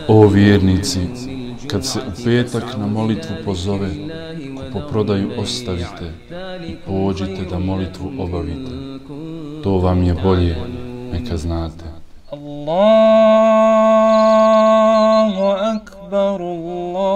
O vjernici, kad se u petak na molitvu pozove, kupoprodaju ostavite i pođite da molitvu obavite. To vam je bolje, neka znate. Allahu akbar, Allahu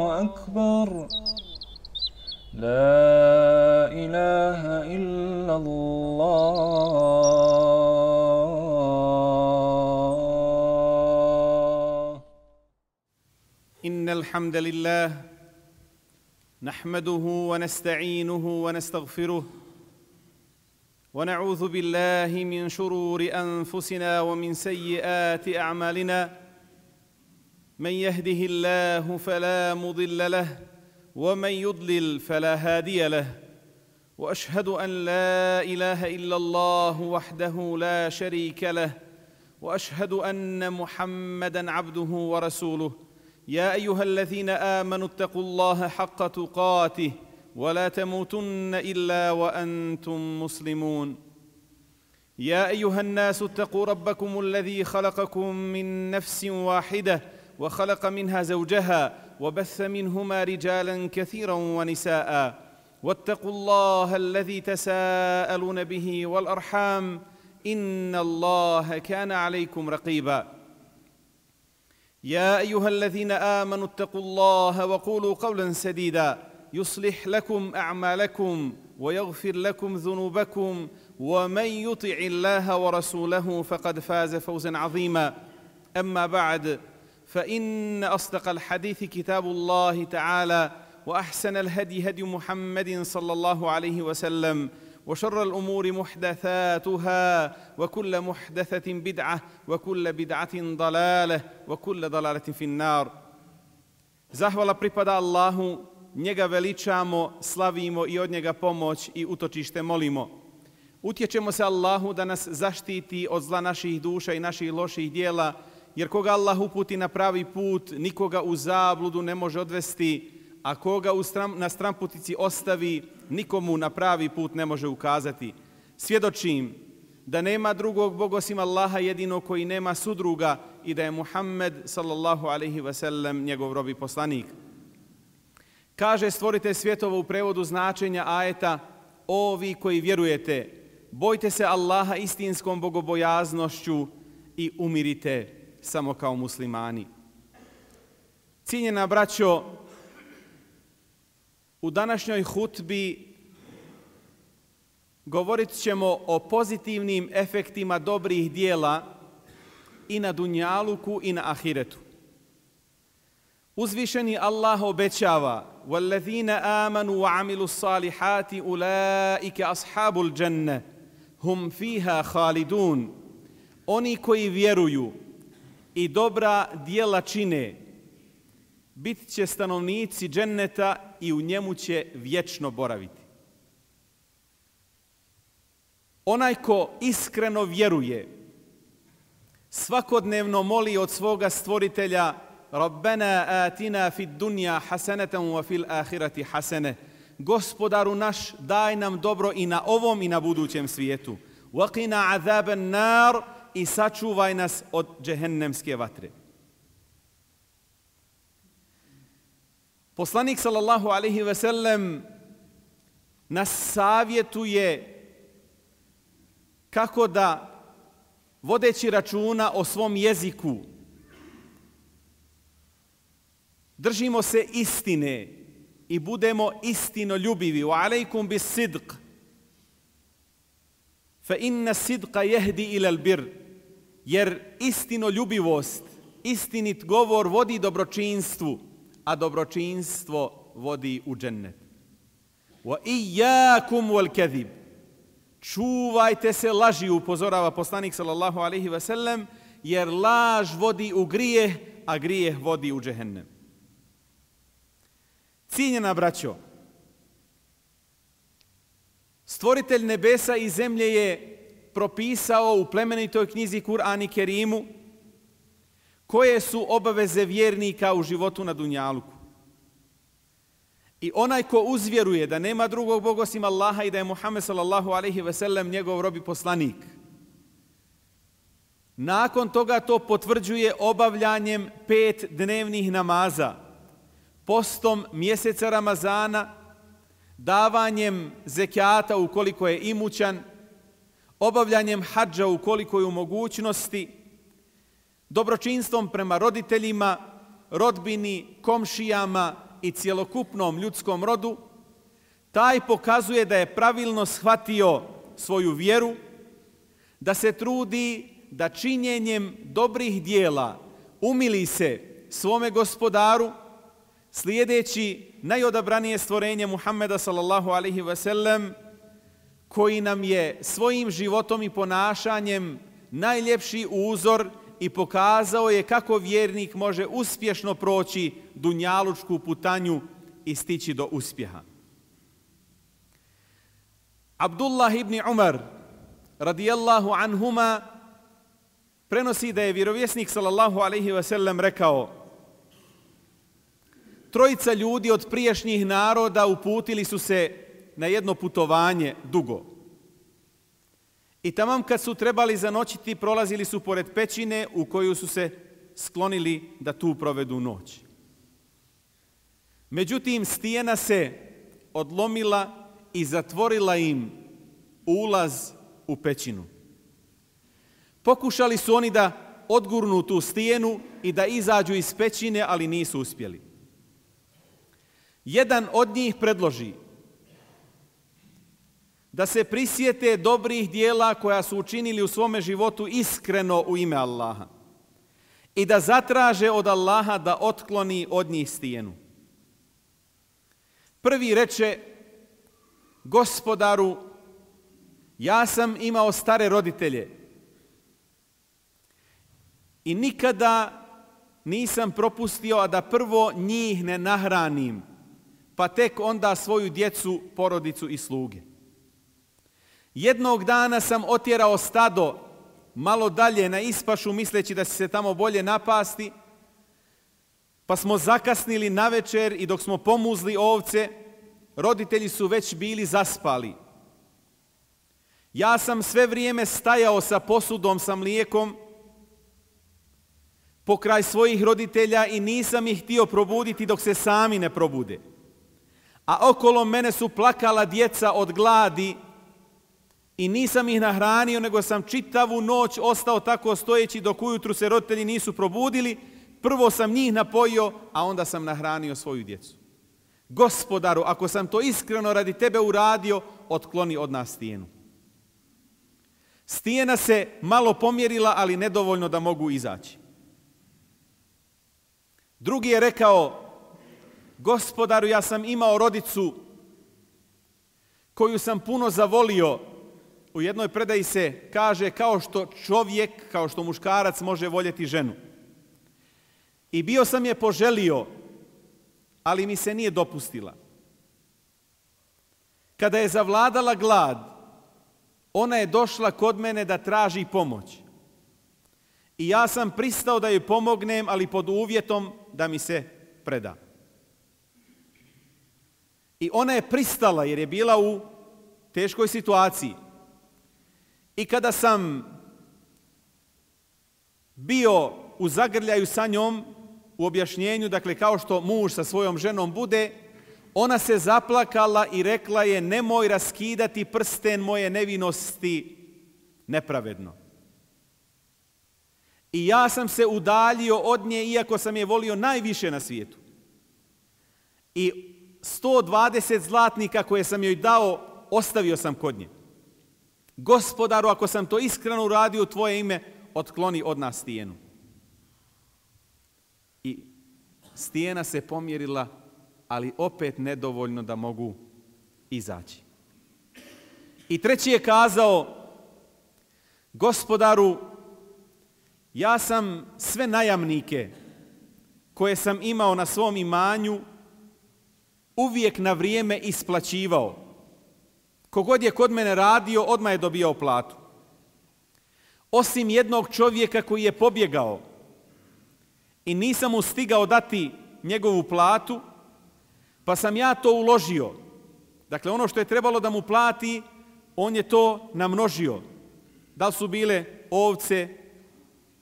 akbar, la ilaha illa Allah. Innal hamdalillah نحمده ونستعينه ونستغفره ونعوذ بالله من شرور أنفسنا ومن سيئات أعمالنا من يهده الله فلا مضل له ومن يضلل فلا هادي له وأشهد أن لا إله إلا الله وحده لا شريك له وأشهد أن محمدًا عبده ورسوله يا أيها الذين آمنوا اتقوا الله حق تقاته ولا تموتن إلا وأنتم مسلمون يا أيها الناس اتقوا ربكم الذي خلقكم من نفس واحدة وخلق منها زوجها وبث منهما رجالا كثيرا ونساء واتقوا الله الذي تساءلون به والأرحام إن الله كان عليكم رقيبا يا أيها الذين آمنوا اتقوا الله وقولوا قولا سديدا يصلح لكم أعمالكم ويغفر لكم ذنوبكم ومن يطع الله ورسوله فقد فاز فوزا عظيما أما بعد فإن أصدق الحديث كتاب الله تعالى وأحسن الهدي هدي محمد صلى الله عليه وسلم وشر الأمور محدثاتها وكل محدثة بدعة وكل بدعة ضلالة وكل ضلالة في النار. Zahvala pripada Allahu, njega veličamo, slavimo i od njega pomoć i utočište molimo. Utječemo se Allahu da nas zaštiti od zla naših duša i naših loših dijela, jer koga Allah uputi na pravi put, nikoga u zabludu ne može odvesti, a koga na stranputici ostavi, nikomu na pravi put ne može ukazati. Svjedočim da nema drugog Boga osim Allaha jedinog koji nema sudruga i da je Muhammed sallallahu alaihi ve sellem njegov rob i poslanik. Kaže stvoritelj svjetova u prevodu značenja ajeta: o vi koji vjerujete, bojte se Allaha istinskom bogobojaznošću i umirite samo kao muslimani. Cijenjena braćo, u današnjoj hutbi govorit ćemo o pozitivnim efektima dobrih dijela i na dunjaluku i na ahiretu. Uzvišeni Allah obećava: وَالَّذِينَ آمَنُوا وَعَمِلُوا الصَّالِحَاتِ أُولَٰئِكَ أَصْحَابُ الْجَنَّةِ هُمْ فِيهَا خَالِدُونَ. Oni koji vjeruju i dobra djela čine, bit će stanovnici dženneta i u njemu će vječno boraviti. Onaj ko iskreno vjeruje, svakodnevno moli od svoga stvoritelja: Rabbena atina fid dunja hasanatan wa fil ahirati hasane. Gospodaru naš, daj nam dobro i na ovom i na budućem svijetu. Waqina azaban nar, i sačuvaj nas od džehennemske vatre. Poslanik sallallahu alaihi ve sellem nas savjetuje kako da, vodeći računa o svom jeziku, držimo se istine i budemo istinoljubivi. Wa alaikum bis sidq fa inna sidqa jehdi ilal bir. Jer istinoljubivost, istinit govor vodi dobročinstvu, a dobročinstvo vodi u džennet. Wa iyyakum wal kadhib. Čuvajte se laži, upozorava poslanik sallallahu alejhi ve sellem, jer laž vodi u grijeh, a grijeh vodi u džehennem. Cijenjena braćo, stvoritelj nebesa i zemlje je propisao u plemenitoj knjizi Kur'an i Kerimu koje su obaveze vjernika u životu na dunjaluku. I onaj ko uzvjeruje da nema drugog Boga osim Allaha i da je Muhammed sallallahu alejhi ve sellem njegov rob i poslanik, nakon toga to potvrđuje obavljanjem 5 dnevnih namaza, postom mjeseca Ramazana, davanjem zekijata ukoliko je imućan, obavljanjem hadža ukoliko je u mogućnosti, dobročinstvom prema roditeljima, rodbini, komšijama i cjelokupnom ljudskom rodu, taj pokazuje da je pravilno shvatio svoju vjeru, da se trudi da činjenjem dobrih dijela umili se svome gospodaru, slijedeći najodabranije stvorenje Muhammeda sallallahu alejhi ve sellem, koji nam je svojim životom i ponašanjem najljepši uzor i pokazao je kako vjernik može uspješno proći dunjalučku putanju i stići do uspjeha. Abdullah ibn Umar radijallahu anhuma prenosi da je vjerovjesnik sallallahu alejhi ve sellem rekao: trojica ljudi od prijašnjih naroda uputili su se na jedno putovanje dugo. I tamam kad su trebali zanoćiti, prolazili su pored pećine u koju su se sklonili da tu provedu noć. Međutim, stijena se odlomila i zatvorila im ulaz u pećinu. Pokušali su oni da odgurnu tu stijenu i da izađu iz pećine, ali nisu uspjeli. Jedan od njih predloži da se prisjete dobrih dijela koja su učinili u svome životu iskreno u ime Allaha i da zatraže od Allaha da otkloni od njih stijenu. Prvi reče: Gospodaru, ja sam imao stare roditelje i nikada nisam propustio, a da prvo njih ne nahranim, pa tek onda svoju djecu, porodicu i sluge. Jednog dana sam otjerao stado malo dalje na ispašu misleći da će se tamo bolje napasti, pa smo zakasnili navečer i dok smo pomuzli ovce, roditelji su već bili zaspali. Ja sam sve vrijeme stajao sa posudom sa mlijekom pokraj svojih roditelja i nisam ih htio probuditi dok se sami ne probude. A okolo mene su plakala djeca od gladi i nisam ih nahranio, nego sam čitavu noć ostao tako stojeći dok ujutru se roditelji nisu probudili. Prvo sam njih napojio, a onda sam nahranio svoju djecu. Gospodaru, ako sam to iskreno radi tebe uradio, otkloni od nas stijenu. Stijena se malo pomjerila, ali nedovoljno da mogu izaći. Drugi je rekao: Gospodaru, ja sam imao rodicu koju sam puno zavolio. U jednoj predaji se kaže kao što čovjek, kao što muškarac može voljeti ženu. I bio sam je poželio, ali mi se nije dopustila. Kada je zavladala glad, ona je došla kod mene da traži pomoć. I ja sam pristao da joj pomognem, ali pod uvjetom da mi se preda. I ona je pristala jer je bila u teškoj situaciji. I kada sam bio u zagrljaju sa njom, u objašnjenju, dakle kao što muž sa svojom ženom bude, ona se zaplakala i rekla je: nemoj raskidati prsten moje nevinosti nepravedno. I ja sam se udaljio od nje, iako sam je volio najviše na svijetu. I 120 zlatnika koje sam joj dao, ostavio sam kod nje. Gospodaru, ako sam to iskreno uradio u tvoje ime, otkloni od nas stijenu. I stijena se pomjerila, ali opet nedovoljno da mogu izaći. I treći je kazao: Gospodaru, ja sam sve najamnike koje sam imao na svom imanju uvijek na vrijeme isplaćivao. Kogod je kod mene radio, odmah je dobijao platu. Osim jednog čovjeka koji je pobjegao i nisam mu stigao dati njegovu platu, pa sam ja to uložio. Dakle, ono što je trebalo da mu plati, on je to namnožio. Da li su bile ovce,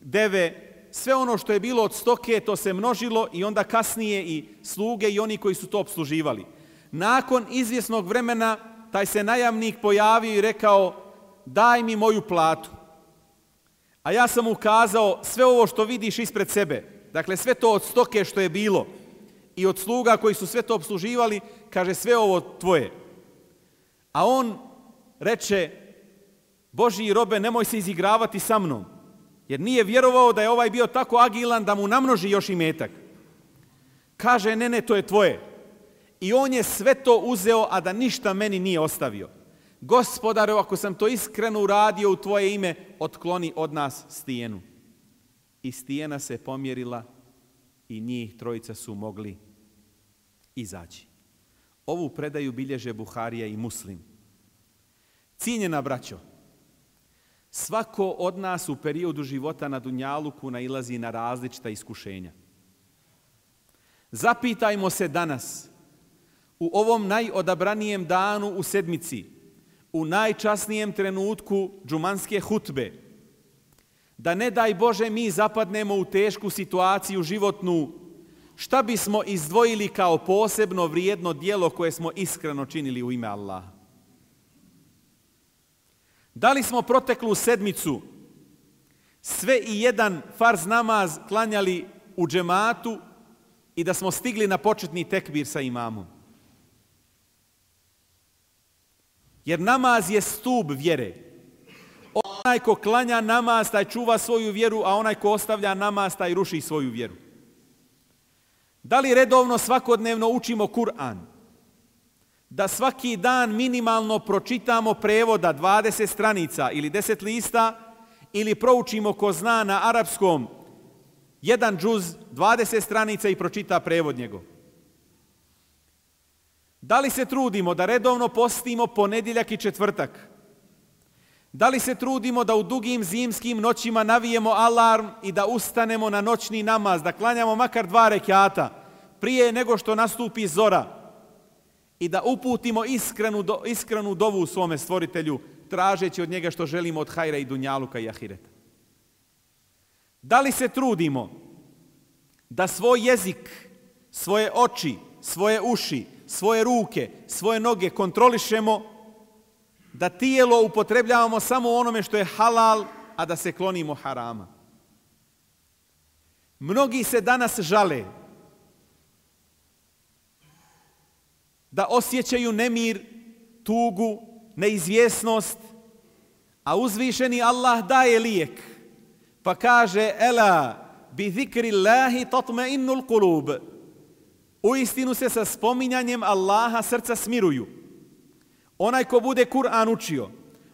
deve, sve ono što je bilo od stoke, to se množilo i onda kasnije i sluge i oni koji su to opsluživali. Nakon izvjesnog vremena, taj se najamnik pojavio i rekao, daj mi moju platu. A ja sam mu kazao, sve ovo što vidiš ispred sebe, dakle sve to od stoke što je bilo i od sluga koji su sve to opsluživali, kaže sve ovo tvoje. A on reče, Božji robe, nemoj se izigravati sa mnom, jer nije vjerovao da je ovaj bio tako agilan da mu namnoži još imetak. Kaže, ne, to je tvoje. I on je sve to uzeo, a da ništa meni nije ostavio. Gospodaru, ako sam to iskreno uradio u tvoje ime, otkloni od nas stijenu. I stijena se pomjerila i njih trojica su mogli izaći. Ovu predaju bilježe Buharija i Muslim. Cijenjena braćo, svako od nas u periodu života na dunjaluku nailazi na različita iskušenja. Zapitajmo se danas, u ovom najodabranijem danu u sedmici, u najčasnijem trenutku džumanske hutbe, da ne daj Bože mi zapadnemo u tešku situaciju životnu, šta bismo izdvojili kao posebno vrijedno djelo koje smo iskreno činili u ime Allaha? Da li smo proteklu sedmicu sve i jedan farz namaz klanjali u džematu i da smo stigli na početni tekbir sa imamom? Jer namaz je stup vjere. Onaj ko klanja namaz, taj čuva svoju vjeru, a onaj ko ostavlja namaz, taj ruši svoju vjeru. Da li redovno svakodnevno učimo Kur'an? Da svaki dan minimalno pročitamo prevoda 20 stranica ili 10 lista ili proučimo ko zna na arapskom jedan džuz 20 stranica i pročita prevod njegov? Da li se trudimo da redovno postimo ponedjeljak i četvrtak? Da li se trudimo da u dugim zimskim noćima navijemo alarm i da ustanemo na noćni namaz, da klanjamo makar 2 rekata prije nego što nastupi zora i da uputimo iskrenu dovu svome stvoritelju, tražeći od njega što želimo od hajra i dunjaluka i ahireta? Da li se trudimo da svoj jezik, svoje oči, svoje uši, svoje ruke, svoje noge kontrolišemo, da tijelo upotrebljavamo samo onome što je halal, a da se klonimo harama? Mnogi se danas žale da osjećaju nemir, tugu, neizvjesnost, a uzvišeni Allah daje lijek, pa kaže ela bi zikrillahi tatma'innul qulub. Uistinu se sa spominjanjem Allaha srca smiruju. Onaj ko bude Kur'an učio,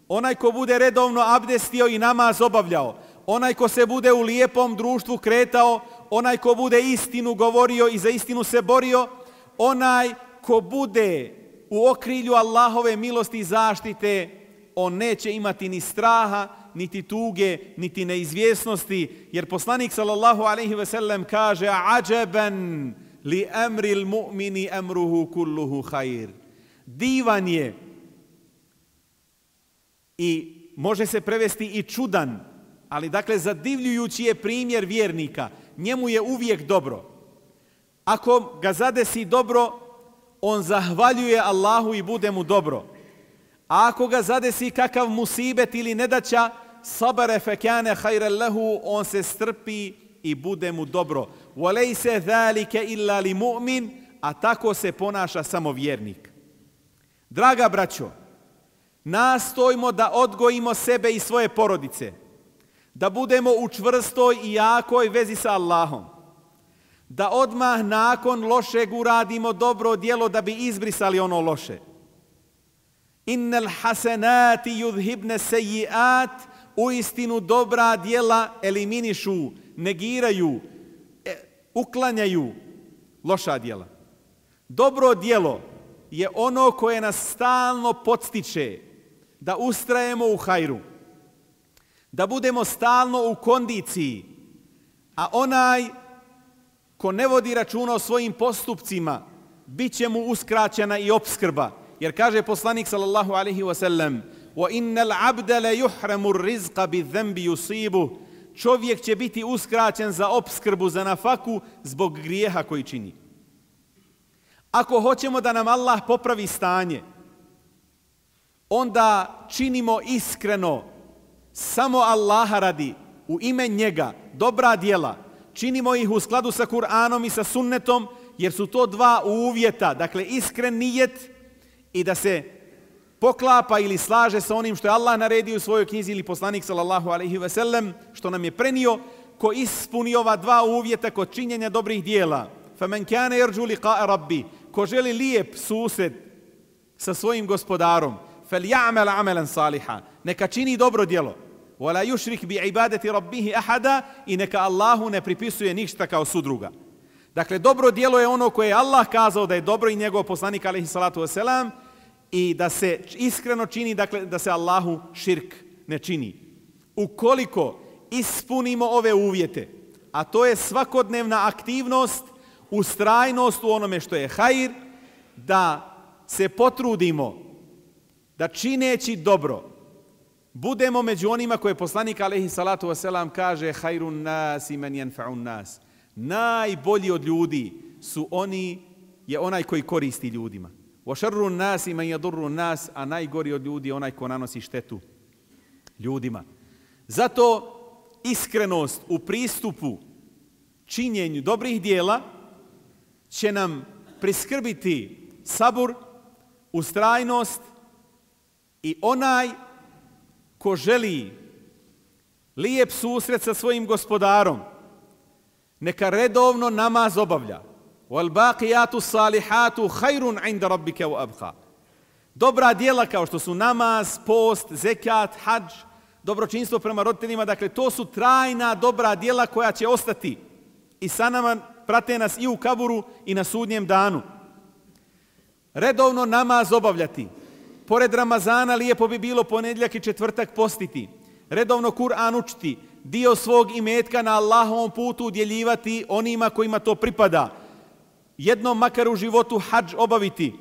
onaj ko bude redovno abdestio i namaz obavljao, onaj ko se bude u lijepom društvu kretao, onaj ko bude istinu govorio i za istinu se borio, onaj ko bude u okrilju Allahove milosti i zaštite, on neće imati ni straha, niti tuge, niti neizvjesnosti, jer poslanik sallallahu alejhi ve sellem kaže ađeben li emril mu'mini emruhu kulluhu hajr. Divan je i može se prevesti i čudan, ali dakle zadivljujući je primjer vjernika. Njemu je uvijek dobro. Ako ga zadesi dobro, on zahvaljuje Allahu i bude mu dobro. A ako ga zadesi kakav musibet ili nedaća, sabare fekane hajre lehu, on se strpi i bude mu dobro. Walejse zalike illa li mu'min, a tako se ponaša samo vjernik. Draga braćo, nastojmo da odgojimo sebe i svoje porodice, da budemo u čvrstoj i jakoj vezi sa Allahom, da odmah nakon lošeg uradimo dobro djelo da bi izbrisali ono loše. Innal hasenati yudhibne sejiat, uistinu dobra djela eliminišu, negiraju, uklanjaju loša djela. Dobro djelo je ono koje nas stalno podstiče da ustrajemo u hajru, da budemo stalno u kondiciji, a onaj ko ne vodi računa o svojim postupcima, bit će mu uskraćena i opskrba. Jer kaže poslanik sallallahu alaihi wa sallam: وَإِنَّ الْعَبْدَ لَيُحْرَمُ الرِّزْقَ بِالذَّنْبِ يُصِيبُهُ. Čovjek će biti uskraćen za opskrbu, za nafaku zbog grijeha koji čini. Ako hoćemo da nam Allah popravi stanje, onda činimo iskreno, samo Allaha radi, u ime njega, dobra djela. Činimo ih u skladu sa Kur'anom i sa sunnetom, jer su to dva uvjeta. Dakle, iskren nijet i da se poklapa ili slaže sa onim što je Allah naredio u svojoj knjizi ili poslanik sallallahu alaihi ve sellem, što nam je prenio. Ko ispuni ova dva uvjeta kod činjenja dobrih dijela, فَمَنْ كَانَ يَرْجُوا لِقَاءَ رَبِّ, ko želi lijep susret sa svojim gospodarom, فَلْيَعْمَلْ عَمَلًا صَالِحًا, neka čini dobro djelo, وَلَا يُشْرِكْ بِعِبَادَةِ رَبِّهِ أَحَدًا, i neka Allahu ne pripisuje ništa kao sudruga. Dakle, dobro djelo je ono koje je Allah kazao da je dobro i njegov poslanik alejhi salatu vesselam, i da se iskreno čini, dakle da se Allahu širk ne čini. Ukoliko ispunimo ove uvjete, a to je svakodnevna aktivnost, ustrajnost u onome što je hajr, da se potrudimo da čineći dobro budemo među onima koje poslanik alejhi salatu vesselam kaže: hajrun nas men yanfa'un nas. Najbolji od ljudi je onaj koji koristi ljudima. Wa sharrun nas men yadurru nas, a najgori od ljudi je onaj ko nanosi štetu ljudima. Zato iskrenost u pristupu činjenju dobrih dijela će nam priskrbiti sabur, ustrajnost, i onaj ko želi lijep susret sa svojim gospodarom, neka redovno namaz obavlja. وَالْبَاقِيَاتُ الصَّالِحَاتُ خَيْرٌ عِنْدَ رَبِّكَ وَأَبْقَى. Dobra djela kao što su namaz, post, zekat, hadž, dobročinstvo prema roditeljima, dakle to su trajna dobra djela koja će ostati i sa nama, prate nas i u kaburu i na sudnjem danu. Redovno namaz obavljati. Pored Ramazana lijepo bi bilo ponedjeljak i četvrtak postiti. Redovno Kur'an učiti. Dio svog imetka na Allahovom putu udjeljivati onima kojima to pripada. Jednom makar u životu hadž obaviti.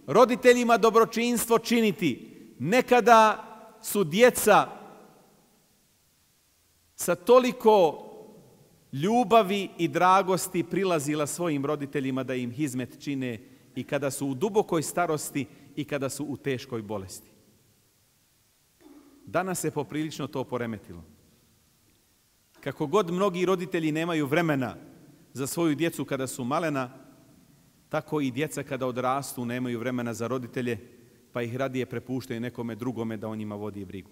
Roditeljima dobročinstvo činiti. Nekada su djeca sa toliko ljubavi i dragosti prilazila svojim roditeljima da im hizmet čine i kada su u dubokoj starosti i kada su u teškoj bolesti. Danas se poprilično to poremetilo. Kako god mnogi roditelji nemaju vremena za svoju djecu kada su malena, tako i djeca kada odrastu nemaju vremena za roditelje, pa ih radije prepuštaju nekome drugome da o njima vodi brigu.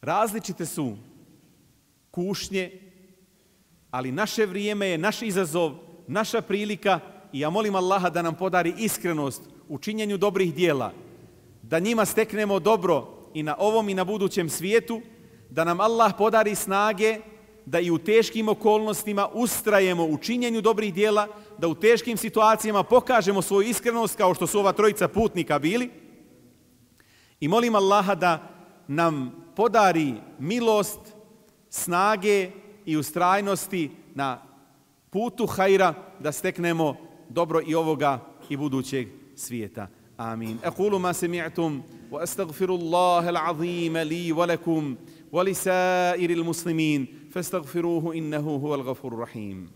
Različite su kušnje, ali naše vrijeme je naš izazov, naša prilika, i ja molim Allaha da nam podari iskrenost u činjenju dobrih dijela, da njima steknemo dobro i na ovom i na budućem svijetu, da nam Allah podari snage da i u teškim okolnostima ustrajemo u činjenju dobrih dijela, da u teškim situacijama pokažemo svoju iskrenost kao što su ova trojica putnika bili. I molim Allaha da nam podari milost, snage i ustrajnosti na putu hajra, da steknemo dobro i ovoga i budućeg svijeta. Amin. Aqulu ma sami'tum wa astaghfirullaha al-azim li wa lakum wa li sa'iril muslimin fastaghfiruhu innahu huwal ghafurur rahim.